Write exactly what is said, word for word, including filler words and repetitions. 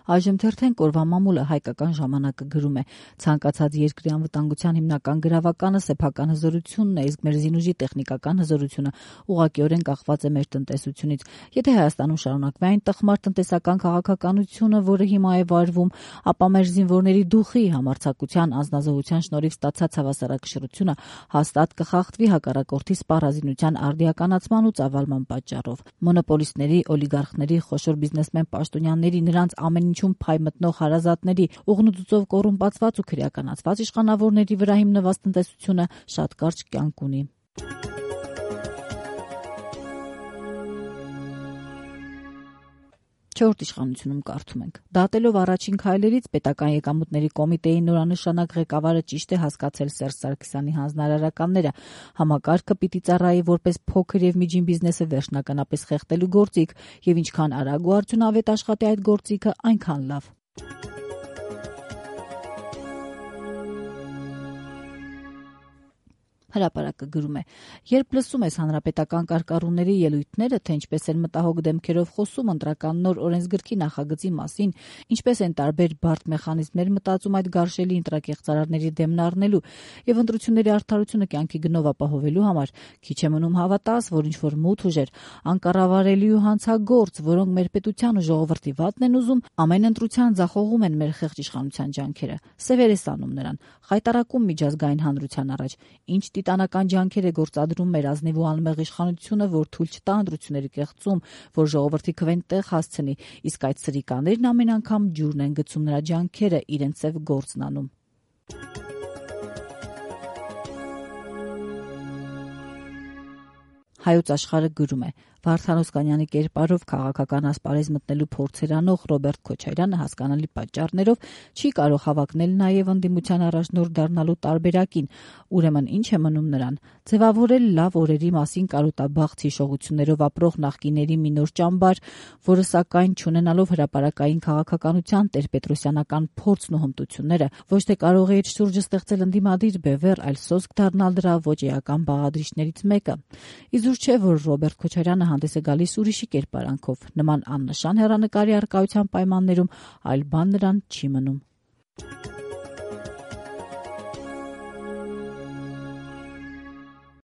Այժմ թերթեն կորվա մամուլը հայկական ժամանակը գրում է. ցանկացած երկրի անվտանգության հիմնական գրավականը սեփական հզորությունն է, իսկ մեր զինուժի տեխնիկական հզորությունը ուղղակիորեն կախված է մեր տնտեսությունից։ Եթե Հայաստանում շարունակվի այն տխմար տնտեսական քաղաքականությունը, որը հիմա է վարվում, ապա մեր զինվորների դուխի, համարձակության, անձնազոհության շնորհիվ ստացած հավասարակշռությունը հաստատ կխախտվի հակառակորդի սպառազինության արդիականացման ու ծավալման պատճառով։ Մոնոպոլիստների, օլիգարխների, խոշոր բիզնեսմեն պաշտոնյաների, նրանց ամեն ինչում փայ մտնող հարազատների, ուղնուծուծով կոռումպացված ու քրեականացված իշխանավորների վրա հիմնված տնտեսությունը շատ կարճ կյանք ունի։ Չորրորդ իշխանությունում կարդում ենք. դատելով առաջին քայլերից պետական եկամուտների կոմիտեի նորանշանակ ղեկավարը ճիշտ է հասկացել Սերժ Սարգսյանի հանձնարարականները։ Համակարգը պիտի ծառայի որպես փոքր եւ միջին բիզնեսը վերջնականապես խեղդելու գործիք, եւ ինչքան արագ ու արդյունավետ աշխատի այդ գործիքը, այնքան լավ։ Հրապարակը գրում է. երբ լսում ես հանրապետական կարգառուների ելույթները, թե ինչպես են մտահոգ դեմքերով խոսում ընտրական նոր օրենսգրքի նախագծի մասին, ինչպես են տարբեր բարդ մեխանիզմներ մտածում այդ գարշելի ընտրակեղծարարների դեմն առնելու եւ ընտրությունների արդարությունը կյանքի գնով ապահովելու համար, քիչ է մնում հավատաս, որ ինչ-որ մութ ուժեր, անկառավարելի ու հանցագործ, որոնք մեր պետության ու ժողովրդի վատն են ուզում, ամեն ընտրության ձախողում են մեր խեղճ իշխանության ջանքերը, սևեր է սանում նրան, խայտարակում միջազգային հանրության առաջ, ինչ տիտանական ջանքեր է գործադրում մեր ազնիվ ու անմեղ իշխանությունը, որ թույլ չտա ընտրությունների կեղծում, որ ժողովրդի քվեն տեղ հասցնի, իսկ այդ սրիկաներն ամեն անգամ ջուրն են գցում նրա ջանքերը, իրենց ծև գործն անում։ Հայոց աշխարհը գրում է. Վարդան Օսկանյանի կերպարով քաղաքական ասպարեզ մտնելու փորձեր անող Ռոբերտ Քոչարյանը հասկանալի պատճառներով չի կարող հավակնել նաև ընդդիմության առաջնորդ դառնալու տարբերակին, ուրեմն ինչ է մնում նրան՝ ձևավորել լավ օրերի մասին կարոտաբախտ հիշողություններով ապրող նախկիների մի նոր ճամբար, որը սակայն չունենալով հրապարակային քաղաքականության տեր-պետրոսյանական փորձն ու հմտությունները, ոչ թե կարող է իր շուրջը ստեղծել ընդդիմադիր բևեռ, այլ սոսկ դառնալ դրա ոչ էական բաղադրիչներից մեկը։ Իզուր չէ, որ Ռոբերտ Քոչարյանը հանդես է գալիս ուրիշի կերպարանքով, նման աննշան հեռանկարի առկայության պայմաններում այլ բան նրան չի մնում։